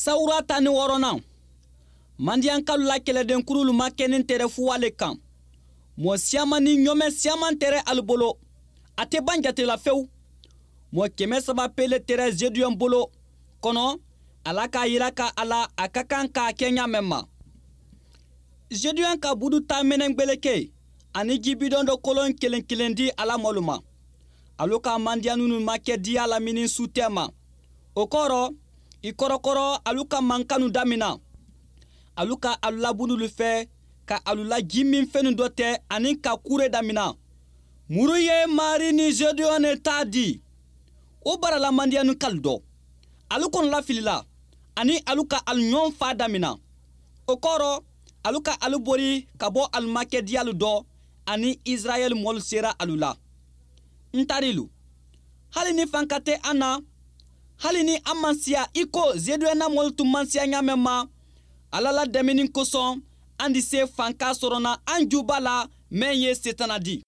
Sawura 16nan, Mandiyankalu la kɛlɛdenkurulu makɛnin tɛrɛ fuwa le kan. Mɔɔ siyaman ni ɲɔmɛ siyaman tɛrɛ alu bolo, a tɛ ban jate la fewu. Mɔɔ 300 pe le tɛrɛ Zeduyɔn bolo kɔnɔ. Ala k'a yira ka a la a ka kan k'a kɛ ɲa mɛn ma. Zeduyɔn ka budu ta mɛnɛ gbeleke ani jibidɔn dɔ kolon kelen kelen di a la mɔlu ma. Alu ka Mandiyanunu makɛ diya lamini su tɛ ma. O kɔrɔ, i kɔrɔkɔrɔ, alu ka mankanu damina. Alu ka alu la budulu fɛ ka alu la jiminfɛnnu dɔ tɛ ani ka kure damina. Muru ye Mari ni Zeduyɔn ne ta di o barala Mandiyanu kalu dɔ. Alu kɔnɔla filila ani alu ka alu ɲɔgɔn fa damina. O kɔrɔ, alu ka alu bori ka bɔ alu makɛ diyalu dɔ ani Israɛl mɔlu sera alu la. N tarilu, hali ni fanka tɛ an na, hali ni an man siya i ko Zeduyɔn na mɔlu tun man siya ɲa mɛn ma, Ala la dɛmɛni kosɔn an di se fanka sɔrɔ na an juba la mɛn ye Setana di.